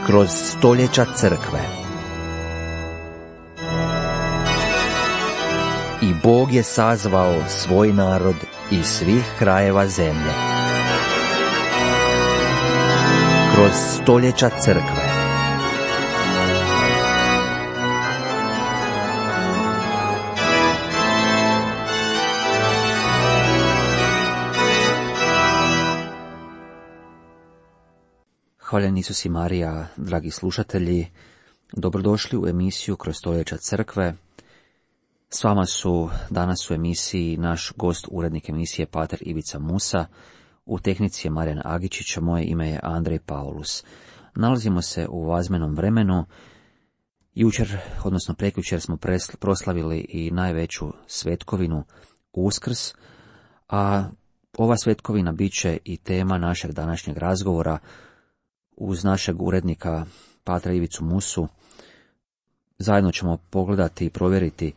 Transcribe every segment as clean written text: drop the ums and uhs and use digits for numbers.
kroz stoljeća crkve. I Bog je sazvao svoj narod iz svih krajeva zemlje. Kroz stoljeća crkve. Hvaljen Isus i Marija, dragi slušatelji, dobrodošli u emisiju Kroz stoljeća crkve. S vama su danas u emisiji naš gost, urednik emisije pater Ivica Musa, u tehnici je Marijan Agičić, a moje ime je Andrej Paulus. Nalazimo se u vazmenom vremenu. Jučer, odnosno prekjučer, smo proslavili i najveću svetkovinu, Uskrs, a ova svetkovina bit će i tema našeg današnjeg razgovora. Uz našeg urednika patra Ivicu Musu zajedno ćemo pogledati i provjeriti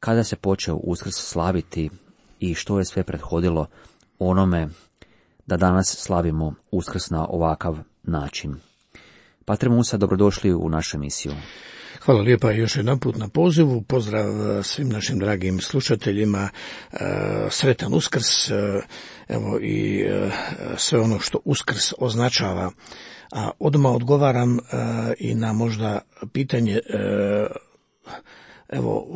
kada se počeo Uskrs slaviti i što je sve prethodilo onome da danas slavimo Uskrs na ovakav način. Patre Musa, dobrodošli u našu emisiju. Hvala lijepa još jedanput na pozivu. Pozdrav svim našim dragim slušateljima. Sretan Uskrs, evo i sve ono što Uskrs označava. A odmah odgovaram i na možda pitanje, evo,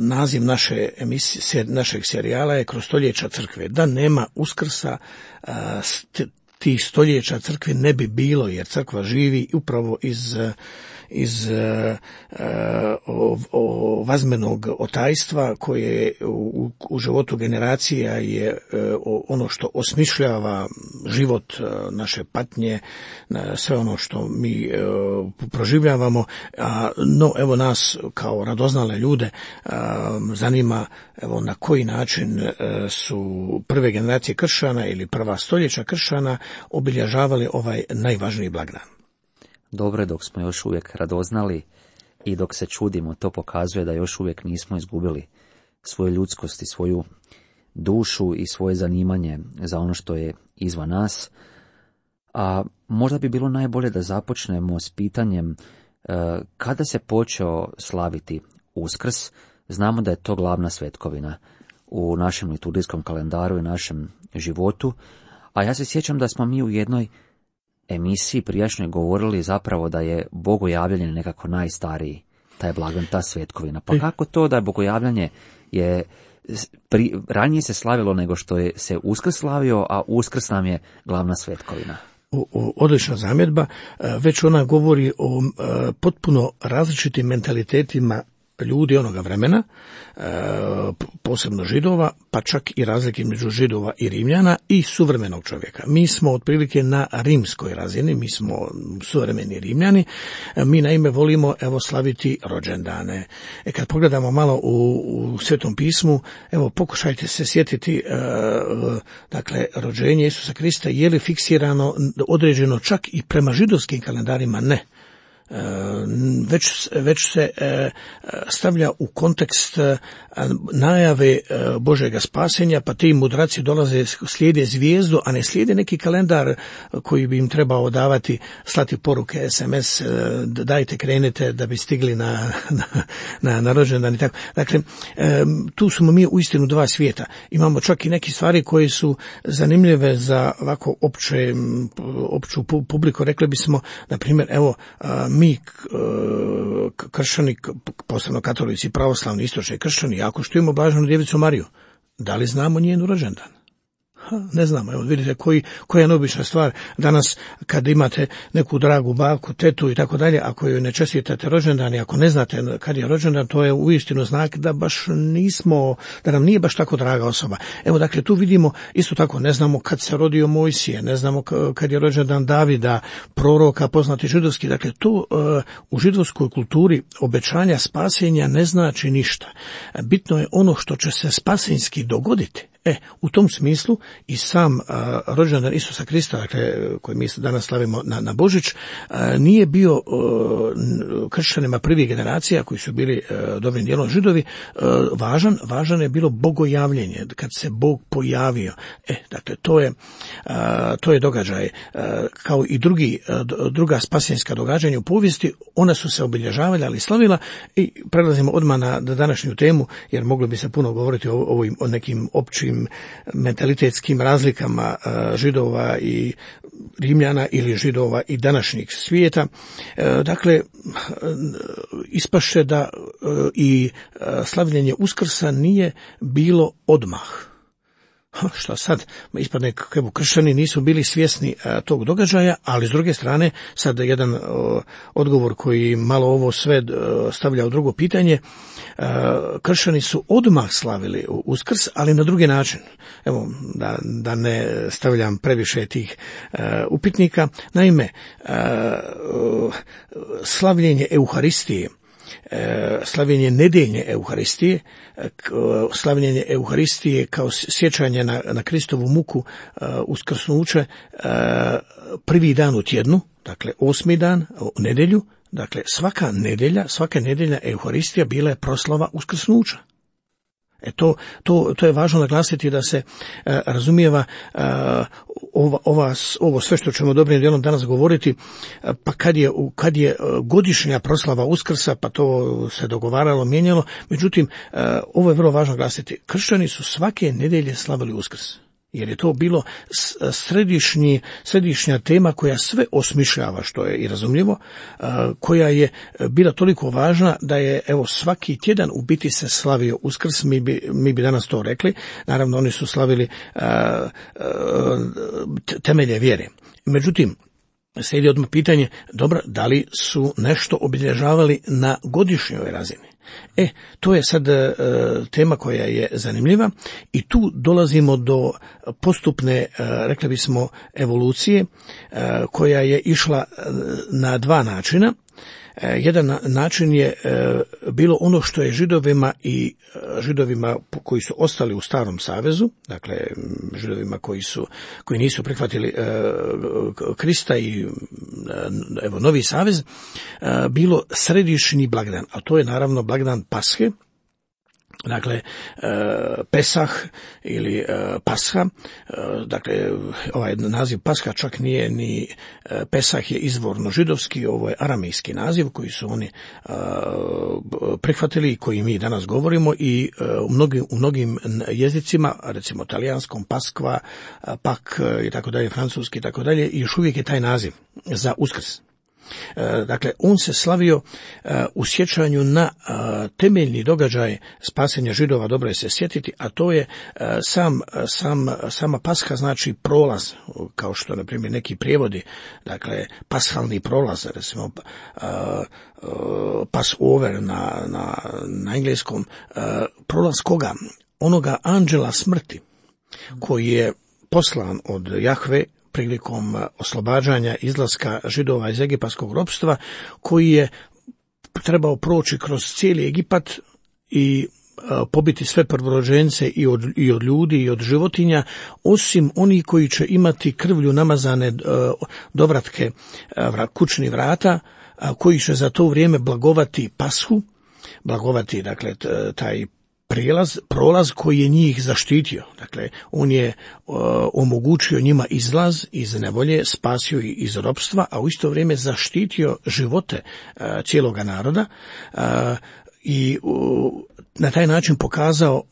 naziv naše emisije, našeg serijala je Kroz stoljeća crkve. Da nema Uskrsa, tih stoljeća crkve ne bi bilo, jer crkva živi upravo iz vazmenog otajstva koje u životu generacija je ono što osmišljava život, naše patnje, sve ono što mi proživljavamo. No, evo nas kao radoznale ljude zanima evo na koji način su prve generacije kršćana ili prva stoljeća kršćana obilježavali ovaj najvažniji blagdan. Dobro, dok smo još uvijek radoznali i dok se čudimo, to pokazuje da još uvijek nismo izgubili svoju ljudskost i svoju dušu i svoje zanimanje za ono što je izvan nas. A možda bi bilo najbolje da započnemo s pitanjem kada se počeo slaviti Uskrs. Znamo da je to glavna svetkovina u našem liturgijskom kalendaru i našem životu, a ja se sjećam da smo mi u jednoj emisiji prijašnjoj govorili zapravo da je bogojavljanje nekako najstariji, taj blagdan, ta svetkovina. Pa kako to da je bogojavljanje ranije se slavilo nego što je se Uskrs slavio, a Uskrs nam je glavna svetkovina? Odlična zamjedba, već ona govori o potpuno različitim mentalitetima ljudi onoga vremena, posebno Židova, pa čak i razlike među Židova i Rimljana i suvremenog čovjeka. Mi smo otprilike na rimskoj razini, mi smo suvremeni Rimljani, mi naime volimo evo slaviti rođendane. Kad pogledamo malo u Svetom pismu, evo pokušajte se sjetiti, dakle, rođenje Isusa Krista, je li fiksirano, određeno čak i prema židovskim kalendarima? Ne. Već se stavlja u kontekst najave Božjega spasenja, pa ti mudraci dolaze, slijede zvijezdu, a ne slijede neki kalendar koji bi im trebao davati, slati poruke, SMS, dajte krenete da bi stigli na rođendan i tako. Dakle, tu smo mi uistinu dva svijeta. Imamo čak i neke stvari koje su zanimljive za ovako opću publiku. Rekli bismo, na primjer, evo, mi kršćani, posebno katolici, pravoslavni, istočni kršćani, jako štujemo Blaženu Djevicu Mariju. Da li znamo njen rođendan? Ne znamo. Evo vidite koja je neobična stvar. Danas kad imate neku dragu baku, tetu i tako dalje, ako joj ne čestitate rođendan i ako ne znate kad je rođendan, to je uistinu znak da baš da nam nije baš tako draga osoba. Evo dakle tu vidimo isto tako, ne znamo kad se rodio Mojsije, ne znamo kad je rođendan Davida, proroka, poznati židovski. Dakle to u židovskoj kulturi obećanja spasenja ne znači ništa. Bitno je ono što će se spasenjski dogoditi. U tom smislu i sam rođendan Isusa Krista, dakle, koji mi danas slavimo na Božić, nije bio kršćanima prvih generacija, koji su bili dobrim dijelom Židovi, važan je bilo bogojavljenje, kad se Bog pojavio. Dakle, to je događaj, kao i druga spasenska događanja u povijesti, ona su se obilježavala, ali slavila, i prelazimo odmah na današnju temu, jer moglo bi se puno govoriti o nekim općim mentalitetskim razlikama Židova i Rimljana ili Židova i današnjeg svijeta. Dakle, ispašće da i slavljenje Uskrsa nije bilo odmah. Šta sad? Ispadne kako kršćani nisu bili svjesni tog događaja, ali s druge strane sad jedan odgovor koji malo ovo sve stavlja u drugo pitanje. Kršćani su odmah slavili Uskrs, ali na drugi način. Evo, da ne stavljam previše tih upitnika. Naime, slavljenje Euharistije, slavljenje nedeljne Euharistije, slavljenje Euharistije kao sjećanje na Kristovu muku, uskrsnuće, prvi dan u tjednu, dakle 8. dan, u nedjelju, dakle svaka nedjelja Euharistija bila je proslava uskrsnuća. To je važno naglasiti, da se razumijeva ovo sve što ćemo dobrim dijelom danas govoriti, pa kad je godišnja proslava Uskrsa, pa to se dogovaralo, mijenjalo. Međutim, ovo je vrlo važno naglasiti. Kršćani su svake nedjelje slavili Uskrs, jer je to bilo središnja tema koja sve osmišljava, što je i razumljivo, koja je bila toliko važna da je svaki tjedan u biti se slavio Uskrs. Mi bi danas to rekli. Naravno, oni su slavili temelje vjere. Međutim, slijedi odmah pitanje, dobro, da li su nešto obilježavali na godišnjoj razini? To je sad tema koja je zanimljiva, i tu dolazimo do postupne, rekli bismo, evolucije, koja je išla na dva načina. Jedan način je bilo ono što je Židovima koji su ostali u Starom savezu, dakle Židovima koji nisu prihvatili Krista i novi savez, bilo središnji blagdan, a to je naravno blagdan Pashe. Dakle, Pesah ili Pasha, dakle ovaj naziv Pasha čak nije ni Pesah, je izvorno židovski, ovo je aramejski naziv koji su oni prihvatili i koji mi danas govorimo, i u mnogim jezicima, recimo talijanskom Paskva, Pak i tako dalje, francuski i tako dalje, i još uvijek je taj naziv za Uskrs. Dakle, on se slavio u sjećanju na temeljni događaj spasenja Židova, dobro je se sjetiti, a to je sama Pasha, znači prolaz, kao što na primjer neki prijevodi, dakle pashalni prolaz, recimo Passover na engleskom, prolaz koga? Onoga anđela smrti koji je poslan od Jahve prilikom oslobađanja izlaska Židova iz egipatskog ropstva, koji je trebao proći kroz cijeli Egipat i pobiti sve prvorođence i od ljudi i od životinja, osim oni koji će imati krvlju namazane dovratke kućnih vrata, koji će za to vrijeme blagovati Pashu, blagovati dakle taj prolaz koji je njih zaštitio. Dakle, on je omogućio njima izlaz iz nevolje, spasio ih iz ropstva, a u isto vrijeme zaštitio živote cijeloga naroda, i na taj način pokazao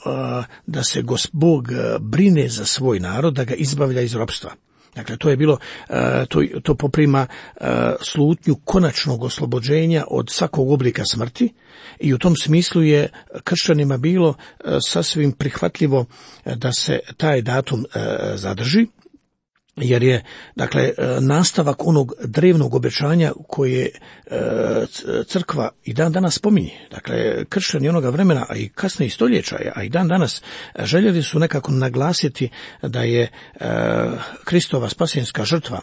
da se Bog brine za svoj narod, da ga izbavlja iz ropstva. Dakle, to je bilo, to poprima slutnju konačnog oslobođenja od svakog oblika smrti, i u tom smislu je kršćanima bilo sasvim prihvatljivo da se taj datum zadrži, jer je, dakle, nastavak onog drevnog obećanja koje crkva i dan danas spominje. Dakle, kršćani onoga vremena, a i kasnije stoljeća, a i dan danas, željeli su nekako naglasiti da je Kristova spasenska žrtva,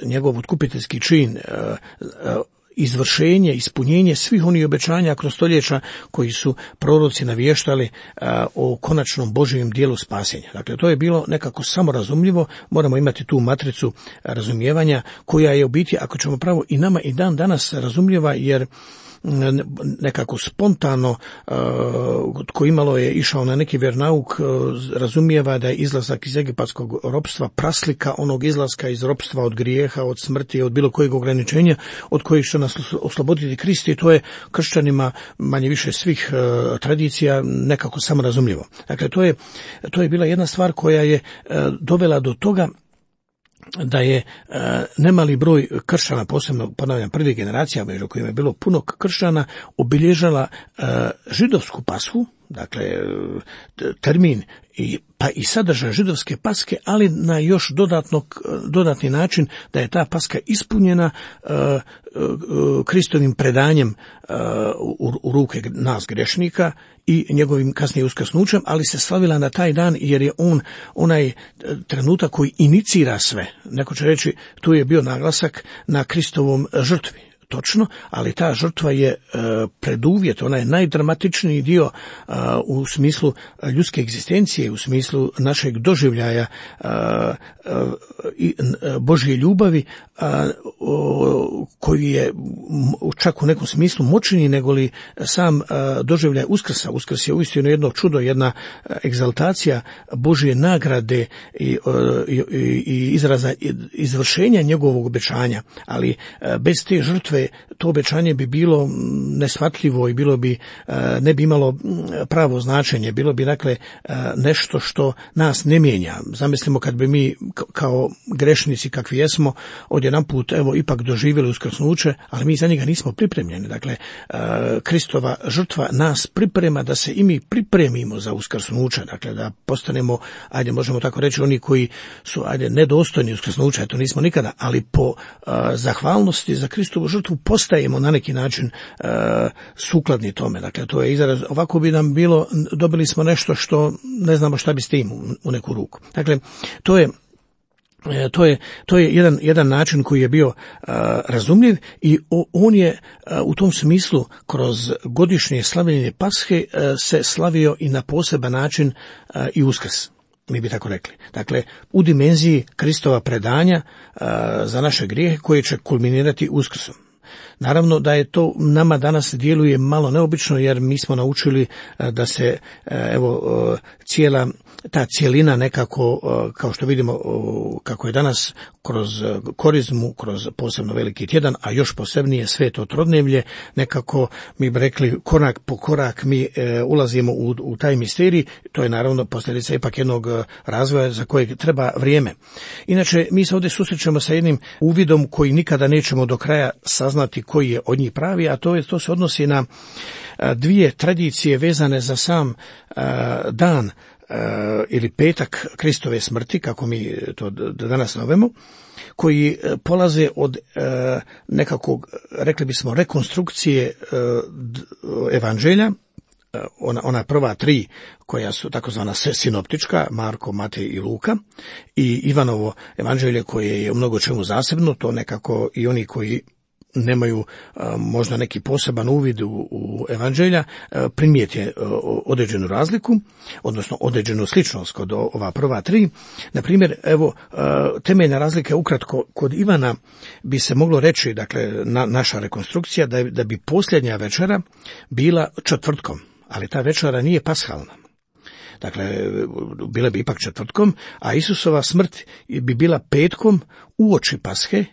njegov otkupiteljski čin, izvršenje, ispunjenje svih onih obećanja kroz stoljeća koji su proroci navještali o konačnom Božijem dijelu spasenja. Dakle, to je bilo nekako samorazumljivo, moramo imati tu matricu razumijevanja koja je u biti, ako ćemo pravo, i nama i dan danas razumljiva, jer nekako spontano tko imalo je išao na neki vjernauk razumijeva da je izlazak iz egipatskog ropstva praslika onog izlaska iz ropstva od grijeha, od smrti, od bilo kojeg ograničenja od kojih će nas osloboditi Krist, i to je kršćanima manje više svih tradicija nekako samorazumljivo. Dakle, to je bila jedna stvar koja je dovela do toga da je nemali broj kršćana, posebno ponavljam prvih generacija, među kojima je bilo puno kršćana, obilježala židovsku pashu, dakle termin pa i sadržaj židovske paske, ali na još dodatni način da je ta paska ispunjena Kristovim predanjem u ruke nas grešnika i njegovim kasnije uskrsnućem, ali se slavila na taj dan jer je on onaj trenutak koji inicira sve. Neko će reći, tu je bio naglasak na Kristovom žrtvi. Točno, ali ta žrtva je preduvjet, ona je najdramatičniji dio u smislu ljudske egzistencije, u smislu našeg doživljaja Božje ljubavi, koji je čak u nekom smislu moćniji nego li sam doživljaj Uskrsa. Uskrs je uistinu jedno čudo, jedna egzaltacija Božje nagrade i izraza izvršenja njegovog obećanja, ali bez te žrtve to obećanje bi bilo neshvatljivo i ne bi imalo pravo značenje, bilo bi dakle nešto što nas ne mijenja. Zamislimo kad bi mi kao grešnici kakvi jesmo odjedanput ipak doživjeli uskrsnuće, ali mi za njega nismo pripremljeni. Dakle, Kristova žrtva nas priprema da se i mi pripremimo za uskrsnuće, dakle da postanemo, možemo tako reći, oni koji su nedostojni uskrsnuća, to nismo nikada, ali po zahvalnosti za Kristovu žrtvu postajemo na neki način sukladni tome. Dakle, to je izraz, ovako bi nam bilo, dobili smo nešto što ne znamo šta bi s tim u neku ruku. Dakle, to je jedan način koji je bio razumljiv i on je u tom smislu kroz godišnje slavljenje Pashe se slavio i na poseban način i Uskrs, mi bi tako rekli. Dakle, u dimenziji Kristova predanja za naše grijehe koje će kulminirati Uskrsom. Naravno da je to nama danas djeluje malo neobično, jer mi smo naučili da se cijela ta cijelina nekako, kao što vidimo kako je danas kroz korizmu, kroz posebno veliki tjedan, a još posebnije sveto trodnevlje, nekako mi bi rekli korak po korak mi ulazimo u taj misterij. To je naravno posljedica ipak jednog razvoja za kojeg treba vrijeme. Inače, mi se ovdje susrećemo sa jednim uvidom koji nikada nećemo do kraja saznati koji je od njih pravi, a to se odnosi na dvije tradicije vezane za sam dan ili petak Kristove smrti, kako mi to danas zovemo, koji polaze od nekakvog, rekli bismo, rekonstrukcije evanđelja, ona prva tri koja su takozvana sinoptička, Marko, Matej i Luka, i Ivanovo evanđelje koje je u mnogo čemu zasebno, to nekako i oni koji nemaju možda neki poseban uvid u evanđelja, primijete određenu razliku, odnosno određenu sličnost kod ova prva tri. Na primjer, temeljna razlika ukratko kod Ivana bi se moglo reći, dakle, naša rekonstrukcija, da bi posljednja večera bila četvrtkom, ali ta večera nije pashalna. Dakle, bila bi ipak četvrtkom, a Isusova smrt bi bila petkom uoči Pashe,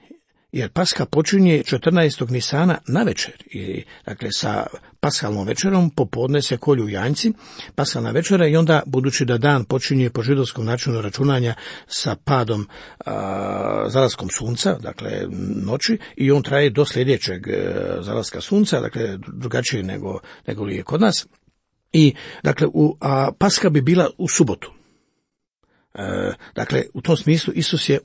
jer Paska počinje 14. Nisana na večer. I, dakle, sa pashalnom večerom popodne se kolju janjci, pashalna večera, i onda, budući da dan počinje po židovskom načinu računanja sa padom zalaskom sunca, dakle noći, i on traje do sljedećeg zalaska sunca, dakle drugačije nego li je kod nas. I, dakle, a Paska bi bila u subotu. Dakle, u tom smislu Isus je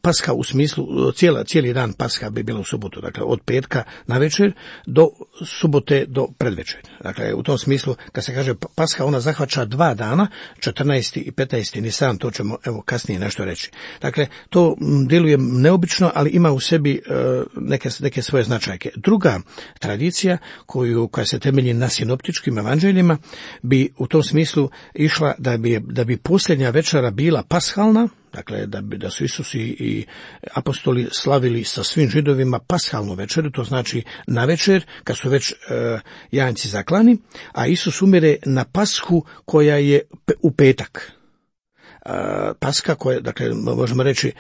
Paska u smislu cijeli dan Paska bi bila u subotu, dakle od petka na večer do subote do predvečer. Dakle, u tom smislu, kad se kaže Pasha, ona zahvaća 2 dana, 14. i 15. Nisan, to ćemo evo kasnije nešto reći. Dakle, to djeluje neobično, ali ima u sebi neke svoje značajke. Druga tradicija koja se temelji na sinoptičkim evanđeljima bi u tom smislu išla da bi posljednja večera bila pashalna, dakle da su Isus i apostoli slavili sa svim Židovima pashalnu večeru, to znači na večer kad su već janjci zaklani, a Isus umire na Pashu koja je u petak. Paska koja, dakle možemo reći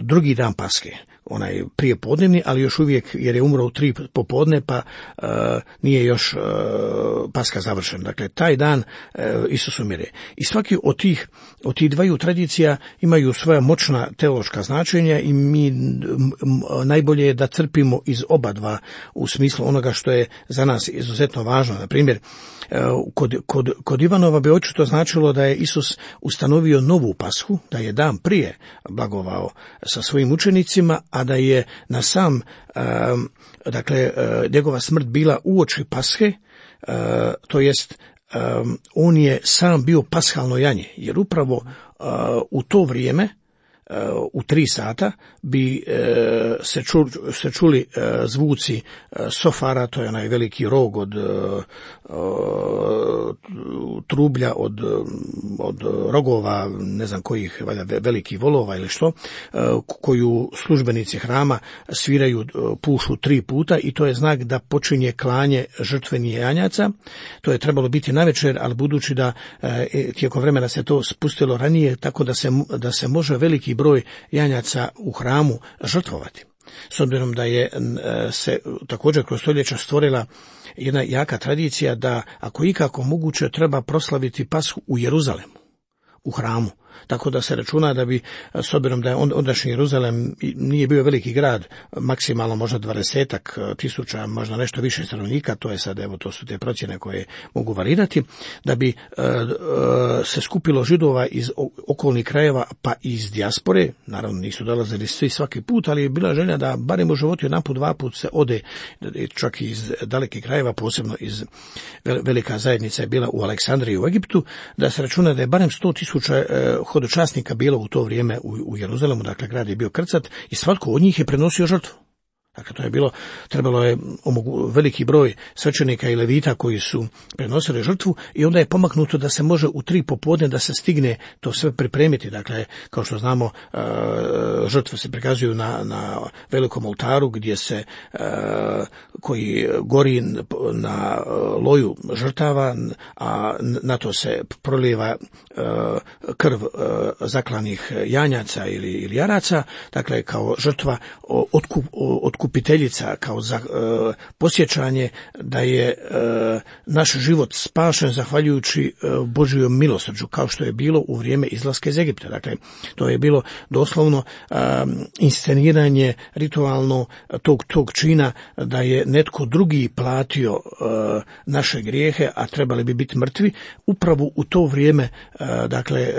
drugi dan Paske, onaj prije podnevni, ali još uvijek jer je umro u 3 popodne pa nije još Paska završen. Dakle, taj dan Isus umire. I svaki od tih dvaju tradicija imaju svoja moćna teološka značenja i mi najbolje je da crpimo iz oba dva u smislu onoga što je za nas izuzetno važno. Na primjer, kod Ivanova bi očito značilo da je Isus ustanovio novu Pashu, da je dan prije blagovao sa svojim učenicima, a da je na sam, dakle, njegova smrt bila uoči Pashe, to jest on je sam bio pashalno janje, jer upravo u to vrijeme, u 3 sata bi se čuli zvuci sofara, to je onaj veliki rog od trublja, od rogova, ne znam kojih, velikih volova ili što, koju službenici hrama sviraju, pušu 3 puta i to je znak da počinje klanje žrtvenih janjaca. To je trebalo biti navečer, ali budući da tijekom vremena se to spustilo ranije, tako da se može veliki broj janjaca u hramu žrtvovati. S obzirom da je se također kroz stoljeća stvorila jedna jaka tradicija da ako ikako moguće treba proslaviti Pashu u Jeruzalemu, u hramu. Tako da se računa da bi, s obzirom da je ondašnji Jeruzalem nije bio veliki grad, maksimalno možda 20 tisuća, možda nešto više stanovnika, to je sad, evo, to su te procjene koje mogu varirati, da bi se skupilo Židova iz okolnih krajeva pa iz dijaspore, naravno nisu dolazili svi svaki put, ali je bila želja da barem u životu jedanput, 2 puta se ode, čak i iz dalekih krajeva, posebno iz velika zajednica je bila u Aleksandriji u Egiptu, da se računa da je barem 100.000 hodočasnika bilo u to vrijeme u Jeruzalemu, dakle grad je bio krcat i svatko od njih je prenosio žrtvu. Dakle, to je bilo, trebalo je veliki broj svećenika i levita koji su prenosili žrtvu i onda je pomaknuto da se može u 3 popodne da se stigne to sve pripremiti. Dakle, kao što znamo, žrtve se prikazuju na velikom oltaru gdje se, koji gori na loju žrtava, a na to se prolijeva krv zaklanih janjaca ili jaraca, dakle kao žrtva otkupiteljica, kao za posjećanje da je naš život spašen zahvaljujući Božjom milosrđu, kao što je bilo u vrijeme izlaska iz Egipta. Dakle, to je bilo doslovno insceniranje ritualno tog čina da je netko drugi platio naše grijehe, a trebali bi biti mrtvi. Upravo u to vrijeme, dakle,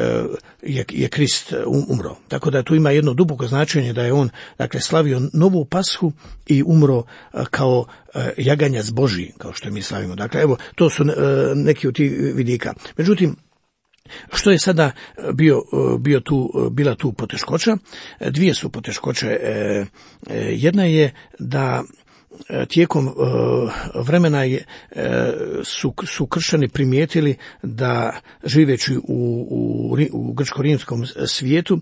je Krist umro. Tako da tu ima jedno duboko značenje da je on, dakle, slavio novu Pashu i umro kao jaganjac Božji, kao što mi slavimo. Dakle, evo, to su neki od tih vidika. Međutim, što je sada bila tu poteškoća? 2 su poteškoće. Jedna je da tijekom vremena su kršćani primijetili da živeći u grčko-rimskom svijetu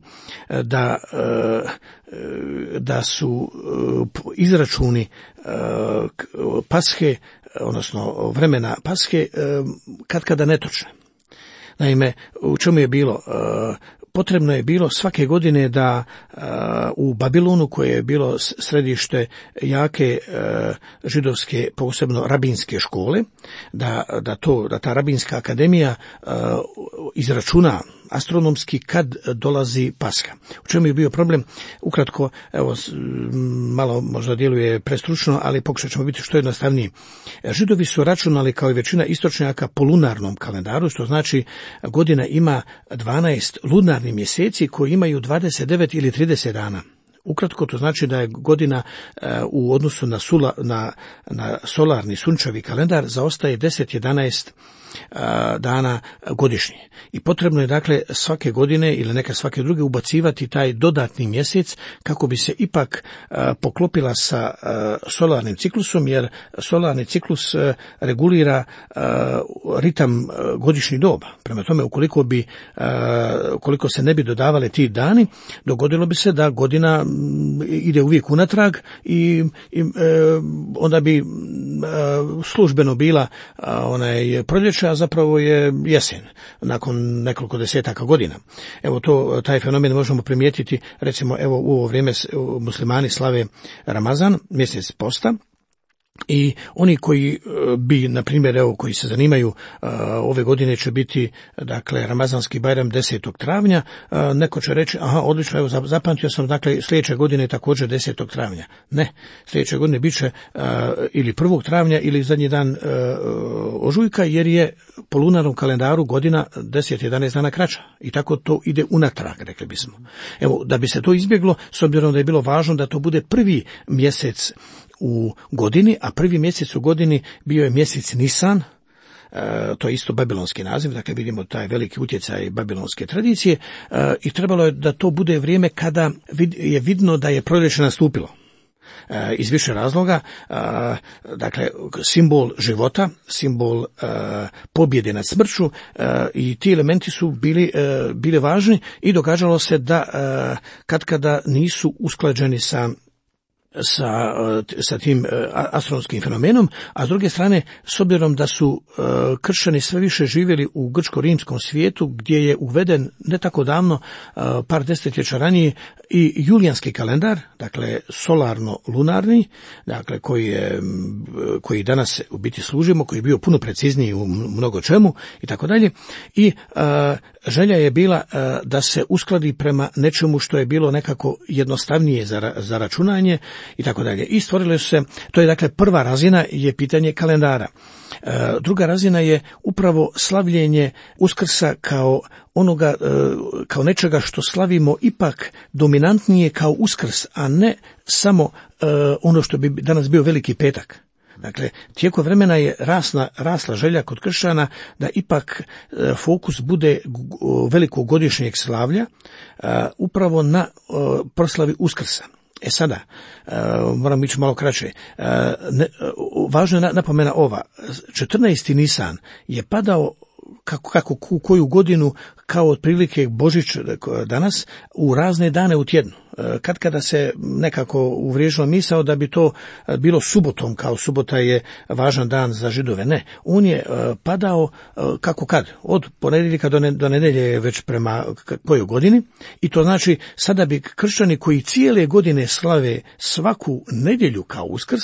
da su izračuni Pashe, odnosno vremena Pashe, katkada netočne. Naime, u čemu je bilo? Potrebno je bilo svake godine da u Babilonu, koje je bilo središte jake židovske, posebno rabinske škole, da ta rabinska akademija izračuna astronomski kad dolazi Pasha. U čemu je bio problem? Ukratko, evo, malo možda djeluje prestručno, ali pokušat ćemo biti što jednostavniji. Židovi su računali, kao i većina istočnjaka, po lunarnom kalendaru, što znači godina ima 12 lunarnih mjeseci koji imaju 29 ili 30 dana. Ukratko to znači da je godina u odnosu na solarni sunčevi kalendar zaostaje 10-11 dana godišnje. I potrebno je dakle svake godine ili neka svake druge ubacivati taj dodatni mjesec kako bi se ipak poklopila sa solarnim ciklusom, jer solarni ciklus regulira ritam godišnjih doba. Prema tome, ukoliko se ne bi dodavale ti dani, dogodilo bi se da godina ide uvijek unatrag i onda bi službeno bila proljeće, a zapravo je jesen nakon nekoliko desetaka godina. Evo taj fenomen možemo primijetiti, recimo evo u ovo vrijeme muslimani slave Ramazan, mjesec posta. I oni koji bi, na primjer, koji se zanimaju, ove godine će biti, dakle, Ramazanski Bajram 10. travnja, neko će reći, odlično, evo, zapamtio sam, dakle, sljedeće godine također 10. travnja. Ne, sljedeće godine bit će ili 1. travnja ili zadnji dan ožujka, jer je po lunarnom kalendaru godina 10-11 dana kraća. I tako to ide unatrag, rekli bismo. Evo, da bi se to izbjeglo, s obzirom da je bilo važno da to bude prvi mjesec u godini, a prvi mjesec u godini bio je mjesec Nisan, to je isto babilonski naziv, dakle vidimo taj veliki utjecaj babilonske tradicije, i trebalo je da to bude vrijeme kada je vidno da je proljeće nastupilo. Iz više razloga, dakle simbol života, simbol pobjede nad smrću, i ti elementi su bili važni i događalo se da katkada nisu usklađeni sa tim astronomskim fenomenom, a s druge strane, s obzirom da su kršćani sve više živjeli u grčko-rimskom svijetu, gdje je uveden ne tako davno, par desetljeća ranije, i julijanski kalendar, dakle solarno-lunarni, dakle koji danas u biti služimo, koji je bio puno precizniji u mnogo čemu i tako dalje, i želja je bila da se uskladi prema nečemu što je bilo nekako jednostavnije za računanje i tako dalje. I stvorile su se, to je dakle prva razina je pitanje kalendara. Druga razina je upravo slavljenje Uskrsa kao nečega što slavimo ipak dominantnije kao Uskrs, a ne samo ono što bi danas bio Veliki petak. Dakle, tijekom vremena je rasla želja kod kršćana da ipak fokus bude velikog godišnjeg slavlja upravo na proslavi Uskrsa. Sada, moram ići malo kraće, važno je napomena ova, 14. Nisan je padao kako koju godinu, kao otprilike Božić danas, u razne dane u tjednu. Kada se nekako uvriježila misao da bi to bilo subotom, kao subota je važan dan za Židove. Ne, on je padao od ponedjeljka do nedjelje je već prema kojoj godini, i to znači sada bi kršćani koji cijele godine slave svaku nedjelju kao Uskrs,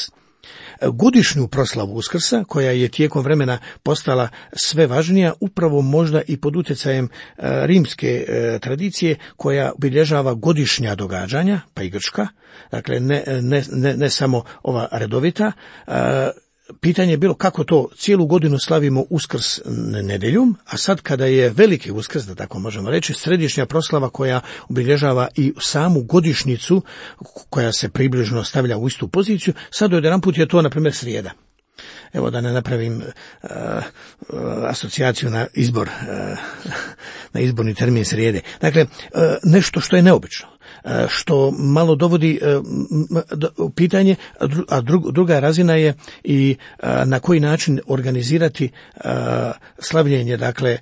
godišnju proslavu Uskrsa, koja je tijekom vremena postala sve važnija, upravo možda i pod utjecajem rimske tradicije, koja obilježava godišnja događanja, pa i grčka, dakle ne samo ova redovita. Pitanje je bilo kako to cijelu godinu slavimo Uskrs nedjeljom, a sad kada je veliki Uskrs, da tako možemo reći, središnja proslava koja obilježava i samu godišnjicu, koja se približno stavlja u istu poziciju, sad odjedanput je to, na primjer, srijeda. Evo, da ne napravim asocijaciju na na izborni termin srijede. Dakle, nešto što je neobično, što malo dovodi u pitanje, a druga razina je i na koji način organizirati slavljenje, dakle,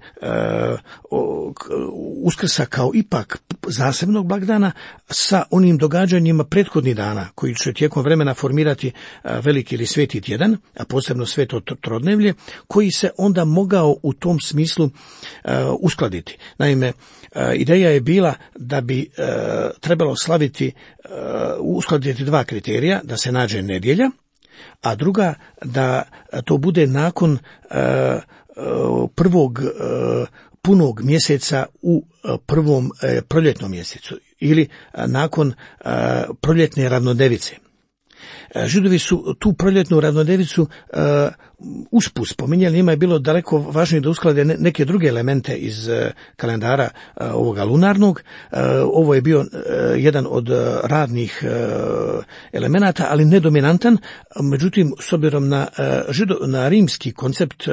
Uskrsa kao ipak zasebnog blagdana sa onim događanjima prethodnih dana, koji će tijekom vremena formirati veliki ili sveti tjedan, a posebno sveto trodnevlje, koji se onda mogao u tom smislu uskladiti. Naime, ideja je bila da bi trebalo slaviti, uskladiti dva kriterija, da se nađe nedjelja, a druga da to bude nakon prvog punog mjeseca u prvom proljetnom mjesecu ili nakon proljetne ravnodevice. Židovi su tu proljetnu ravnodevicu usput spominjali, njima je bilo daleko važnije da usklade neke druge elemente iz kalendara ovoga lunarnog. Ovo je bio jedan od radnih elemenata, ali nedominantan. Međutim, s obzirom na rimski koncept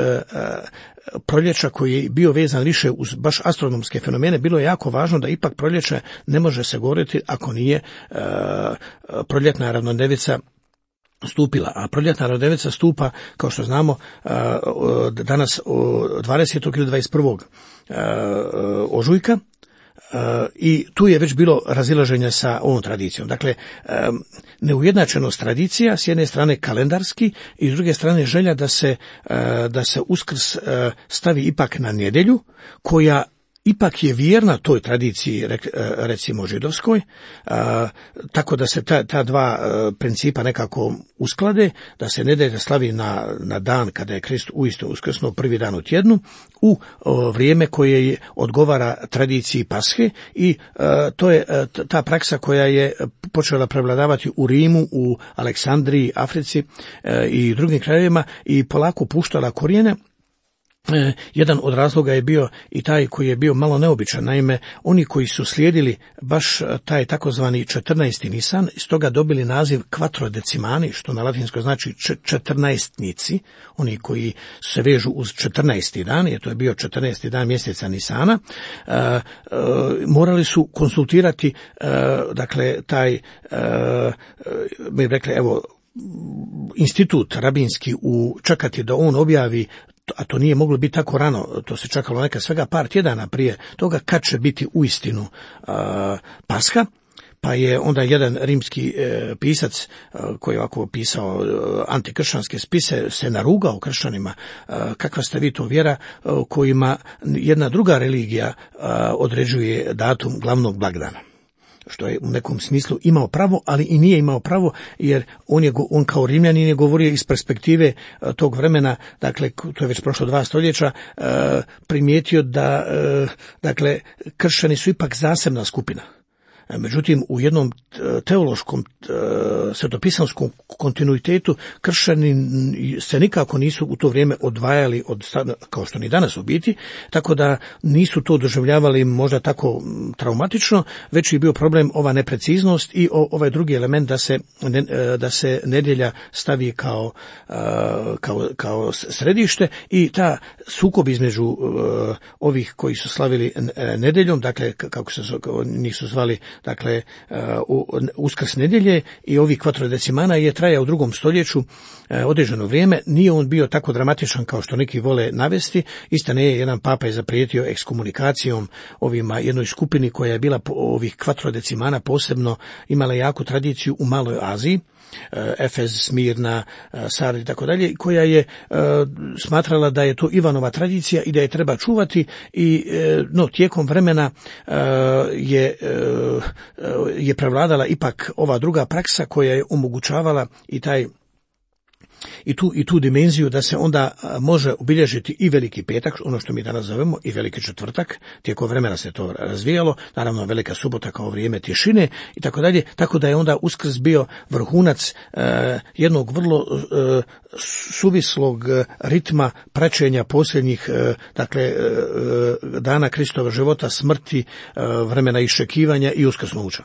proljeća koji je bio vezan više uz baš astronomske fenomene, bilo je jako važno da ipak proljeće ne može se govoriti ako nije proljetna ravnodnevica stupila. A proljetna ravnodnevica stupa, kao što znamo, danas 20. ili 21. ožujka. I tu je već bilo razilaženje sa ovom tradicijom. Dakle, neujednačenost tradicija, s jedne strane kalendarski i s druge strane želja da se Uskrs stavi ipak na nedjelju, koja ipak je vjerna toj tradiciji, recimo židovskoj, tako da se ta dva principa nekako usklade, da se nedjelja slavi na dan kada je Krist uistinu uskrsnuo, prvi dan u tjednu, u vrijeme koje odgovara tradiciji Pashe, i to je ta praksa koja je počela prevladavati u Rimu, u Aleksandriji, Africi i drugim krajevima i polako puštala korijene. Jedan od razloga je bio i taj koji je bio malo neobičan. Naime, oni koji su slijedili baš taj takozvani 14. Nisan, iz toga dobili naziv quattrodecimani, što na latinskoj znači 14-nici, oni koji se vežu uz 14. dan, jer to je bio 14. dan mjeseca Nisana, morali su konsultirati, dakle, taj, mi rekli, evo, institut rabinski, čekati da on objavi, a to nije moglo biti tako rano, to se čekalo neka svega par tjedana prije toga kad će biti uistinu Pasha, pa je onda jedan rimski pisac koji je ovako pisao antikršćanske spise se narugao kršćanima, kakva ste vi to vjera kojima jedna druga religija određuje datum glavnog blagdana. Što je u nekom smislu imao pravo, ali i nije imao pravo, jer on kao Rimljanin je govorio iz perspektive tog vremena, dakle, to je već prošlo 2 stoljeća, primijetio da, dakle, kršćani su ipak zasebna skupina. Međutim, u jednom teološkom svetopisanskom kontinuitetu kršćani se nikako nisu u to vrijeme odvajali kao što ni danas u biti, tako da nisu to doživljavali možda tako traumatično, već je bio problem ova nepreciznost i ovaj drugi element da se nedjelja stavi kao središte, i ta sukob između ovih koji su slavili nedjeljom, dakle, kako se njih su zvali, dakle, Uskrs nedjelje, i ovih quattrodecimana je trajao u 2. stoljeću određeno vrijeme. Nije on bio tako dramatičan kao što neki vole navesti. Istina je, jedan papa je zaprijetio ekskomunikacijom jednoj skupini koja je bila ovih quattrodecimana posebno imala jaku tradiciju u Maloj Aziji, Efez, Smirna, Sard i tako dalje, koja je smatrala da je to Ivanova tradicija i da je treba čuvati, i tijekom vremena je prevladala ipak ova druga praksa koja je omogućavala i tu dimenziju da se onda može obilježiti i Veliki petak, ono što mi danas zovemo, i Veliki četvrtak. Tijekom vremena se to razvijalo, naravno Velika subota kao vrijeme tišine i tako dalje, tako da je onda Uskrs bio vrhunac jednog vrlo suvislog ritma praćenja posljednjih, dakle, dana Kristova života, smrti, vremena iščekivanja i uskrsnuća.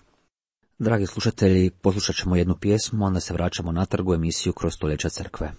Dragi slušatelji, poslušat ćemo jednu pjesmu, onda se vraćamo natrag u emisiju Kroz stoljeća crkve.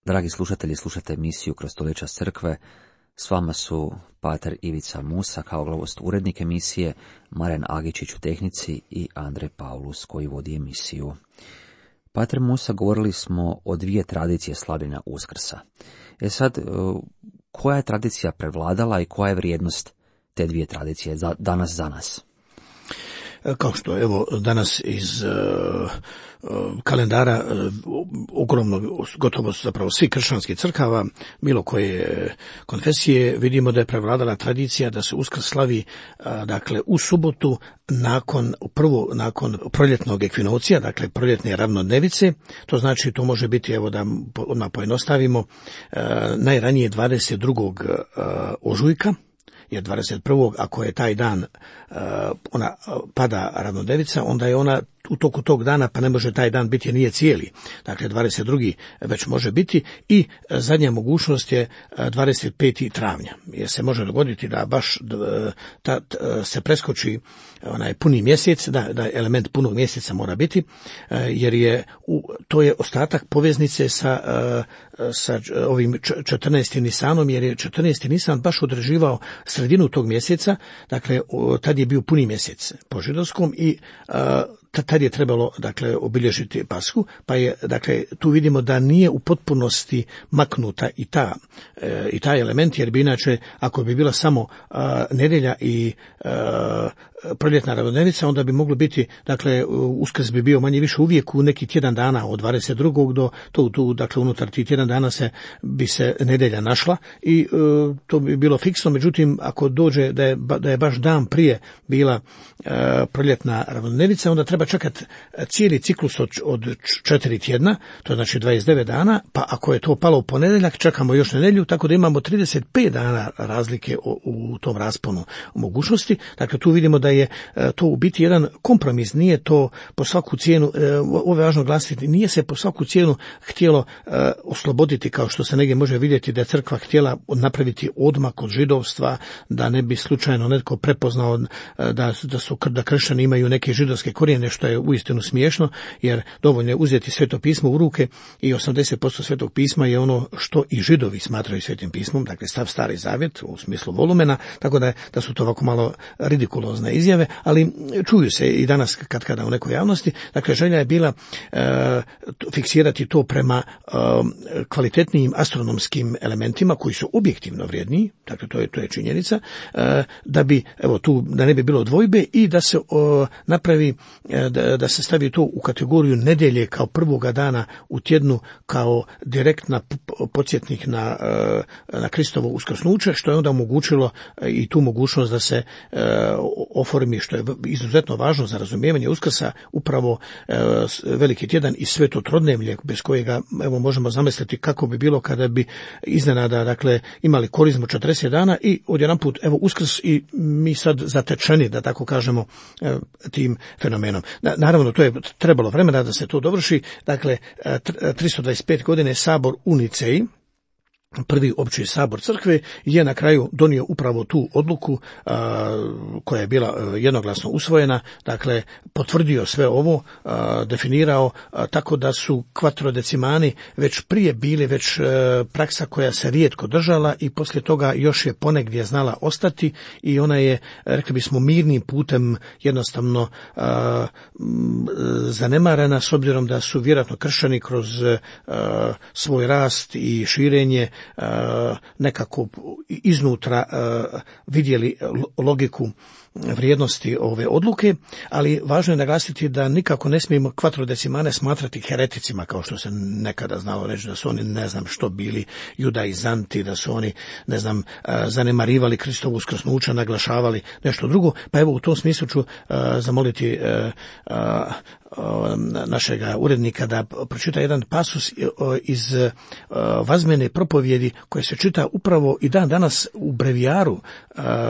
Dragi slušatelji, slušate emisiju Kroz stoljeća crkve. S vama su pater Ivica Musa kao glavost urednik emisije, Maren Agičić u tehnici i Andrej Paulus koji vodi emisiju. Pater Musa, govorili smo o dvije tradicije slavljenja Uskrsa. Sad, koja je tradicija prevladala i koja je vrijednost te dvije tradicije danas za nas? Kao što evo danas iz kalendara ogromno, gotovo zapravo svih kršćanskih crkava, bilo koje konfesije, vidimo da je prevladala tradicija da se Uskrs slavi dakle u subotu nakon proljetnog ekvinocija, dakle proljetne ravnodnevice. To znači, to može biti, evo da odmah pojednostavimo, najranije 22. ožujka, jer 21. ako je taj dan ona pada ravnodnevica, onda je ona u toku tog dana, pa ne može taj dan biti, nije cijeli. Dakle, 22. već može biti i zadnja mogućnost je 25. travnja. Jer se može dogoditi da baš se preskoči onaj puni mjesec, da element punog mjeseca mora biti, jer to je ostatak poveznice sa ovim 14. Nisanom, jer je 14. Nisan baš određivao sredinu tog mjeseca, dakle tad je bio puni mjesec po židovskom i tad je trebalo dakle obilježiti Pashu, pa je dakle tu vidimo da nije u potpunosti maknuta i taj element, jer bi inače ako bi bila samo nedjelja i proljetna ravnodnevica, onda bi moglo biti, dakle Uskrs bi bio manje više uvijek u neki tjedan dana od 22. do tu, dakle unutar tih tjedan dana bi se nedjelja našla i to bi bilo fiksno. Međutim, ako dođe da je baš dan prije bila proljetna ravnodnevica, onda treba čekati cijeli ciklus od 4 tjedna, to znači 29 dana, pa ako je to palo u ponedjeljak, čekamo još nedjelju, tako da imamo 35 dana razlike u tom rasponu mogućnosti. Dakle, tu vidimo da je to u biti jedan kompromis, nije to po svaku cijenu, ovo je važno glasiti, nije se po svaku cijenu htjelo osloboditi, kao što se negdje može vidjeti da je crkva htjela napraviti odmak od židovstva, da ne bi slučajno netko prepoznao da kršćani imaju neke židovske korijene, što je uistinu smiješno, jer dovoljno je uzeti Sveto pismo u ruke i 80% Svetog pisma je ono što i židovi smatraju Svetim pismom, dakle stav Stari Zavjet u smislu volumena, tako da su to ovako malo ridikulozne izjave, ali čuju se i danas kada u nekoj javnosti. Dakle, želja je bila fiksirati to prema kvalitetnijim astronomskim elementima koji su objektivno vrijedniji, dakle to je činjenica, da bi, evo tu, da ne bi bilo dvojbe i da se napravi, da se stavi to u kategoriju nedjelje kao prvoga dana u tjednu, kao direktna podsjetnik na Kristovo uskrsnuće, što je onda omogućilo i tu mogućnost da se oformi, što je izuzetno važno za razumijevanje Uskrsa, upravo veliki tjedan i sveto trodnevlje, bez kojega evo možemo zamisliti kako bi bilo kada bi iznenada dakle imali korizmu 40 dana i odjedanput evo Uskrs i mi sad zatečeni, da tako kažemo, tim fenomenom. Naravno, to je trebalo vremena da se to dovrši. Dakle, 325 godine sabor u Niceji, prvi opći sabor crkve, je na kraju donio upravo tu odluku koja je bila jednoglasno usvojena, dakle potvrdio sve ovo, definirao tako da su kvatrodecimani već prije bili već praksa koja se rijetko držala i poslije toga još je ponegdje znala ostati i ona je, rekli bismo, mirnim putem jednostavno zanemarena, s obzirom da su vjerojatno kršćani kroz svoj rast i širenje nekako iznutra vidjeli logiku vrijednosti ove odluke, ali važno je naglasiti da nikako ne smijemo kvatrodecimane smatrati hereticima, kao što se nekada znalo reći da su oni ne znam što bili judaizanti, da su oni ne znam zanemarivali Kristovo uskrsnuće, naglašavali nešto drugo. Pa evo u tom smislu ću zamoliti našega urednika da pročita jedan pasus iz vazmene propovjedi koje se čita upravo i dan danas u brevijaru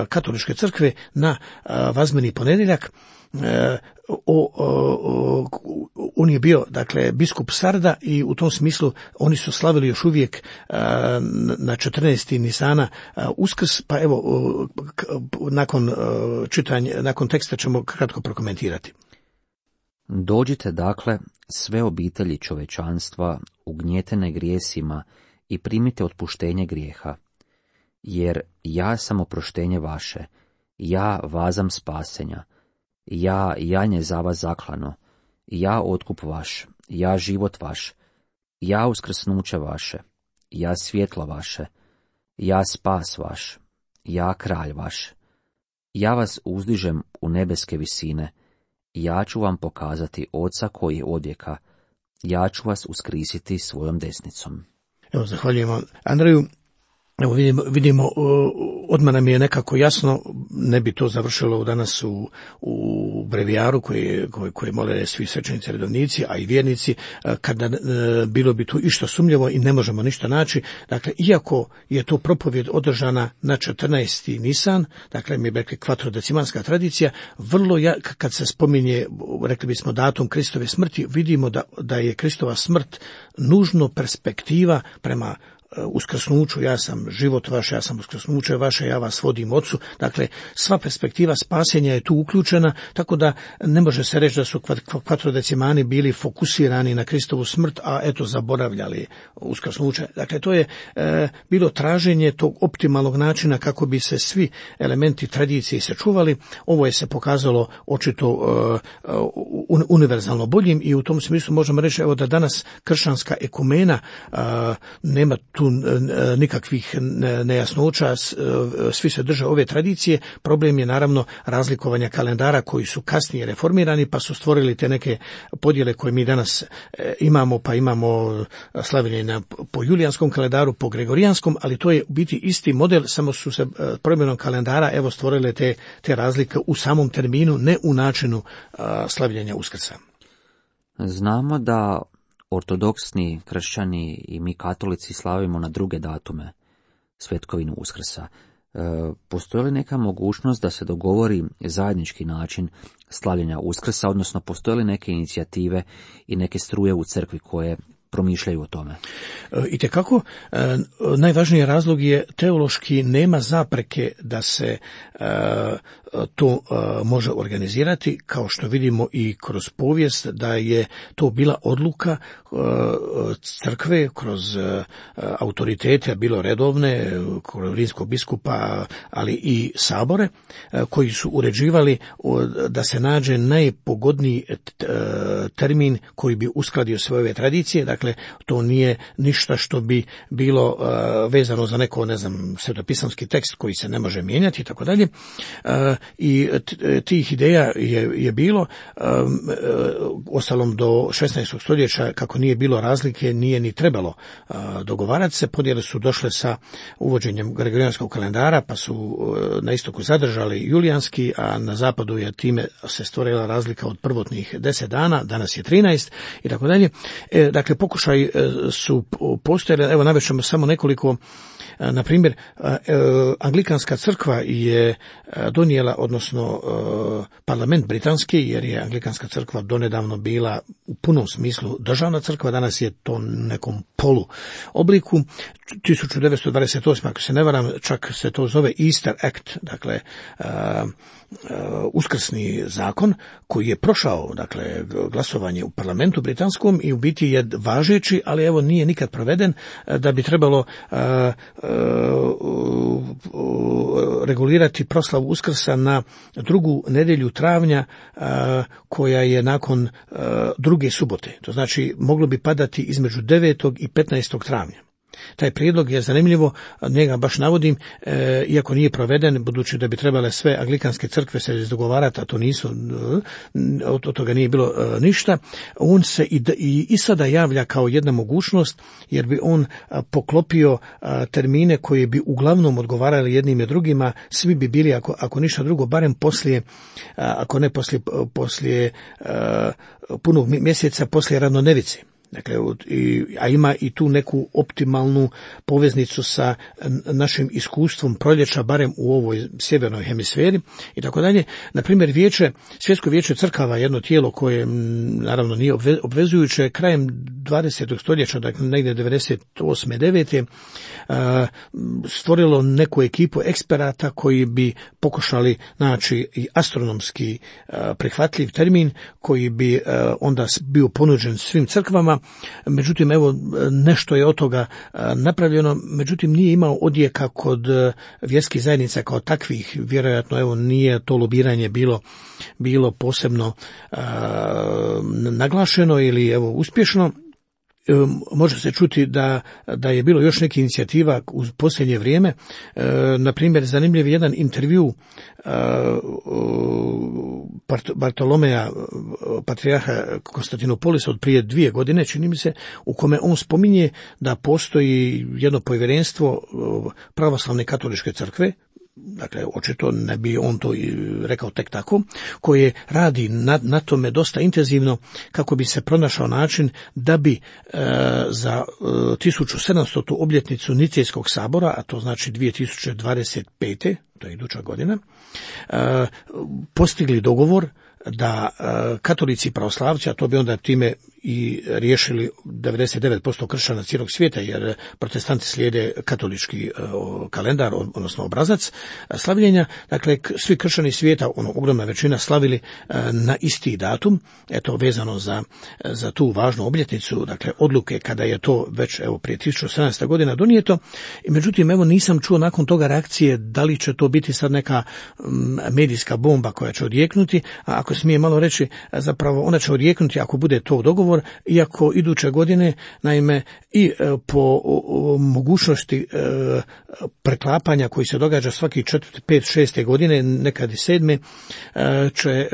katoličke crkve na vazmeni ponedjeljak. On je bio, dakle, biskup Sarda i u tom smislu oni su slavili još uvijek na 14. Nisana Uskrs, pa evo nakon teksta ćemo kratko prokomentirati. Dođite dakle sve obitelji čovečanstva ugnjetene grijesima i primite otpuštenje grijeha. Jer ja sam oproštenje vaše, ja vazam spasenja, ja janje za vas zaklano, ja otkup vaš, ja život vaš, ja uskrsnuće vaše, ja svjetlo vaše, ja spas vaš, ja kralj vaš. Ja vas uzdižem u nebeske visine, ja ću vam pokazati Oca koji je odvijeka, ja ću vas uskrisiti svojom desnicom. Evo, zahvaljujemo Andreju. Evo vidimo, odmah nam je nekako jasno, ne bi to završilo danas u brevijaru koje mole svi svećenici redovnici, a i vjernici, kada bilo bi tu išta sumnjivo i ne možemo ništa naći. Dakle, iako je to propovjed održana na 14. Nisan, dakle mi je rekli kvatrodecimanska tradicija, vrlo kad se spominje, rekli bismo, datum Kristove smrti, vidimo da je Kristova smrt nužno perspektiva prema uskrsnuću, ja sam život vaš, ja sam uskrsnuće vaše, ja vas vodim Ocu. Dakle, sva perspektiva spasenja je tu uključena, tako da ne može se reći da su kvatrodecimani bili fokusirani na Kristovu smrt, a eto zaboravljali uskrsnuće. Dakle, to je bilo traženje tog optimalnog načina kako bi se svi elementi tradicije sačuvali. Ovo je se pokazalo očito univerzalno boljim i u tom smislu možemo reći evo da danas kršćanska ekumena nema tu nikakvih nejasnoća, svi se drže ove tradicije. Problem je naravno razlikovanja kalendara koji su kasnije reformirani pa su stvorili te neke podjele koje mi danas imamo, pa imamo slavljenje po julijanskom kalendaru, po gregorijanskom, ali to je u biti isti model, samo su se promjenom kalendara evo stvorile te razlike u samom terminu, ne u načinu slavljenja Uskrsa. Znamo da ortodoksni kršćani i mi katolici slavimo na druge datume svetkovinu Uskrsa. Postoji li neka mogućnost da se dogovori zajednički način slavljenja Uskrsa, odnosno postoje li neke inicijative i neke struje u crkvi koje promišljaju o tome? Itekako, najvažniji razlog je teološki nema zapreke da se to može organizirati, kao što vidimo i kroz povijest da je to bila odluka crkve kroz autoritete, bilo redovne, kroz rimskog biskupa, ali i sabore, koji su uređivali da se nađe najpogodniji termin koji bi uskladio sve ove tradicije. Dakle, to nije ništa što bi bilo vezano za neko, svetopisamski tekst koji se ne može mijenjati i tako dalje. I tih ideja je bilo, ostalom do 16. stoljeća, kako nije bilo razlike, nije ni trebalo dogovarati se. Podjele su došle sa uvođenjem gregorijanskog kalendara, pa su na istoku zadržali julijanski, a na zapadu je time se stvorila razlika od prvotnih 10 dana, danas je 13 i tako dalje. Dakle, pokušaj su postojali, evo navešćemo samo nekoliko. Na primjer, Anglikanska crkva je donijela, odnosno parlament britanski, jer je Anglikanska crkva donedavno bila u punom smislu državna crkva, danas je to nekom polu obliku. 1928. ako se ne varam, čak se to zove Easter Act, dakle uskrsni zakon koji je prošao, dakle, glasovanje u parlamentu britanskom i u biti je važeći, ali evo nije nikad proveden, da bi trebalo regulirati proslavu Uskrsa na drugu nedjelju travnja, koja je nakon druge subote. To znači moglo bi padati između 9. i 15. travnja. Taj prijedlog je zanimljivo, njega baš navodim, iako nije proveden, budući da bi trebale sve anglikanske crkve se izdogovarati, a to nisu, od toga nije bilo ništa. On se i sada javlja kao jedna mogućnost, jer bi on poklopio termine koji bi uglavnom odgovarali jednim i drugima, svi bi bili, ako ništa drugo, barem poslije, ako ne poslije punog mjeseca, poslije ravnonevice. Dakle, a ima i tu neku optimalnu poveznicu sa našim iskustvom proljeća, barem u ovoj sjevernoj hemisferi i tako dalje. Na primjer, Svjetsko vijeće crkava, jedno tijelo koje naravno nije obvezujuće, krajem 20. stoljeća, dakle negdje 98. 9. stvorilo neku ekipu eksperata koji bi pokušali naći i astronomski prihvatljiv termin koji bi onda bio ponuđen svim crkvama. Hrvatskoj, međutim evo nešto je od toga napravljeno, međutim nije imao odjeka kod vjerskih zajednica kao takvih, vjerojatno evo nije to lobiranje bilo posebno naglašeno ili evo uspješno. Može se čuti da je bilo još neke inicijativa u posljednje vrijeme. Na primjer, zanimljiv je jedan intervju Bartolomeja, patrijarha Konstantinopolisa od prije 2 godine, čini mi se, u kome on spominje da postoji jedno povjerenstvo pravoslavne katoličke crkve, dakle očito ne bi on to rekao tek tako, koje radi na tome dosta intenzivno kako bi se pronašao način da bi za 1700. obljetnicu Nicejskog sabora, a to znači 2025. to je iduća godina, postigli dogovor da katolici i pravoslavci, a to bi onda time i riješili 99% kršćana cijelog svijeta, jer protestanti slijede katolički kalendar, odnosno obrazac slavljenja. Dakle, svi kršćani svijeta, ogromna većina, slavili na isti datum, eto vezano za tu važnu obljetnicu, dakle odluke kada je to već evo prije 1700 godina donijeto. I međutim, evo nisam čuo nakon toga reakcije da li će to biti sad neka medijska bomba koja će odjeknuti, a ako smije malo reći, zapravo ona će odjeknuti ako bude to dogovor, iako iduće godine, naime, i po mogućnosti preklapanja koji se događa svaki 4., 5., 6. godine, nekad i 7. će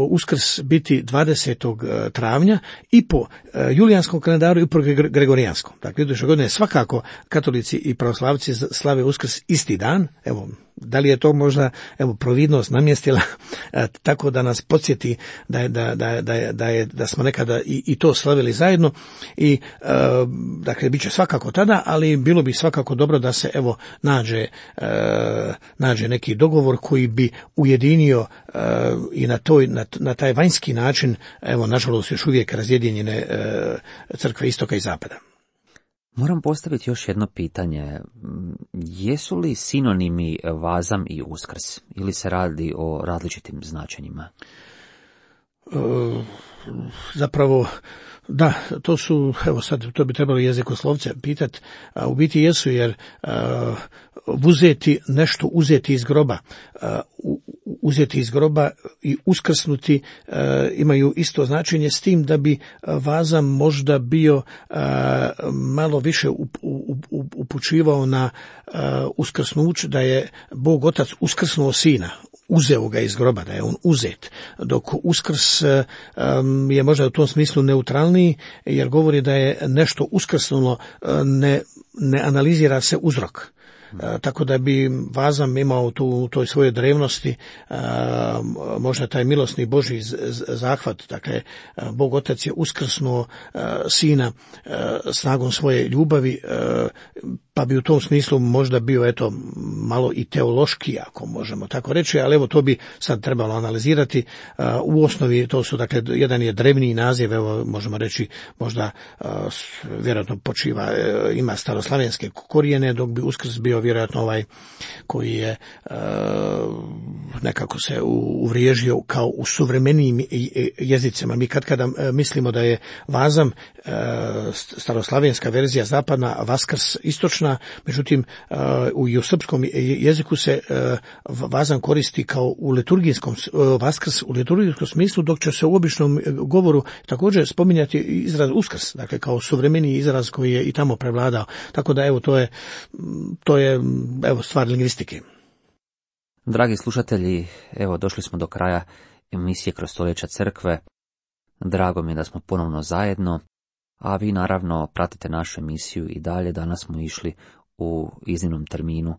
Uskrs biti 20. travnja i po julijanskom kalendaru i po gregorijanskom. Dakle, iduće godine svakako katolici i pravoslavci slave Uskrs isti dan. Evo, da li je to možda providnost namjestila tako da nas podsjeti da smo nekada i to slavili zajedno i dakle bit će svakako tada, ali bilo bi svakako dobro da se evo nađe neki dogovor koji bi ujedinio i na taj vanjski način, evo nažalost još uvijek razjedinjene crkve istoka i zapada. Moram postaviti još jedno pitanje. Jesu li sinonimi Vazam i Uskrs ili se radi o različitim značenjima? Zapravo, da, to su, evo sad to bi trebalo jezikoslovce pitati, a u biti jesu, jer uzeti iz groba, uzeti iz groba i uskrsnuti imaju isto značenje, s tim da bi Vazam možda bio malo više upućivao na uskrsnuće, da je Bog Otac uskrsnuo sina, uzeo ga iz groba, da je on uzet, dok Uskrs je možda u tom smislu neutralniji, jer govori da je nešto uskrsnulo, ne analizira se uzrok. Tako da bi Vazam imao u toj svojoj drevnosti možda taj milosni Božji zahvat, dakle Bog Otac je uskrsnuo sina snagom svoje ljubavi, pa bi u tom smislu možda bio eto malo i teološki, ako možemo tako reći, ali evo to bi sad trebalo analizirati. U osnovi to su, dakle, jedan je drevni naziv, evo možemo reći možda vjerojatno počiva, ima staroslavenske korijene, dok bi Uskrs bio vjerojatno ovaj koji je nekako se uvriježio kao u suvremenijim jezicima. Mi kada mislimo da je Vazam staroslavenska verzija zapadna, a Vaskrs istočna, međutim i u srpskom jeziku se Vazam koristi kao u liturgijskom, Vaskrs u liturgijskom smislu, dok će se u običnom govoru također spominjati izraz Uskrs, dakle kao suvremeniji izraz koji je i tamo prevladao. Tako da evo to je evo stvar lingvistike. Dragi slušatelji, evo došli smo do kraja emisije Kroz stoljeća crkve. Drago mi je da smo ponovno zajedno, a vi naravno pratite našu emisiju i dalje. Danas smo išli u iznimnom terminu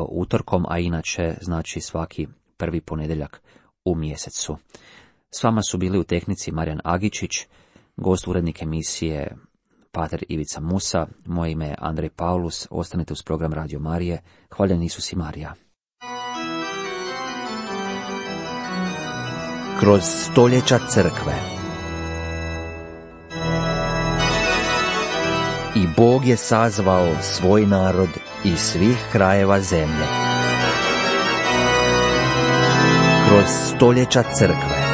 utorkom, a inače znači svaki prvi ponedjeljak u mjesecu. S vama su bili u tehnici Marijan Agičić, gost urednik emisije pater Ivica Musa, moje ime je Andrej Paulus. Ostanite uz program Radio Marije. Hvaljen Isus i Marija. Kroz stoljeća crkve. I Bog je sazvao svoj narod iz svih krajeva zemlje. Kroz stoljeća crkve.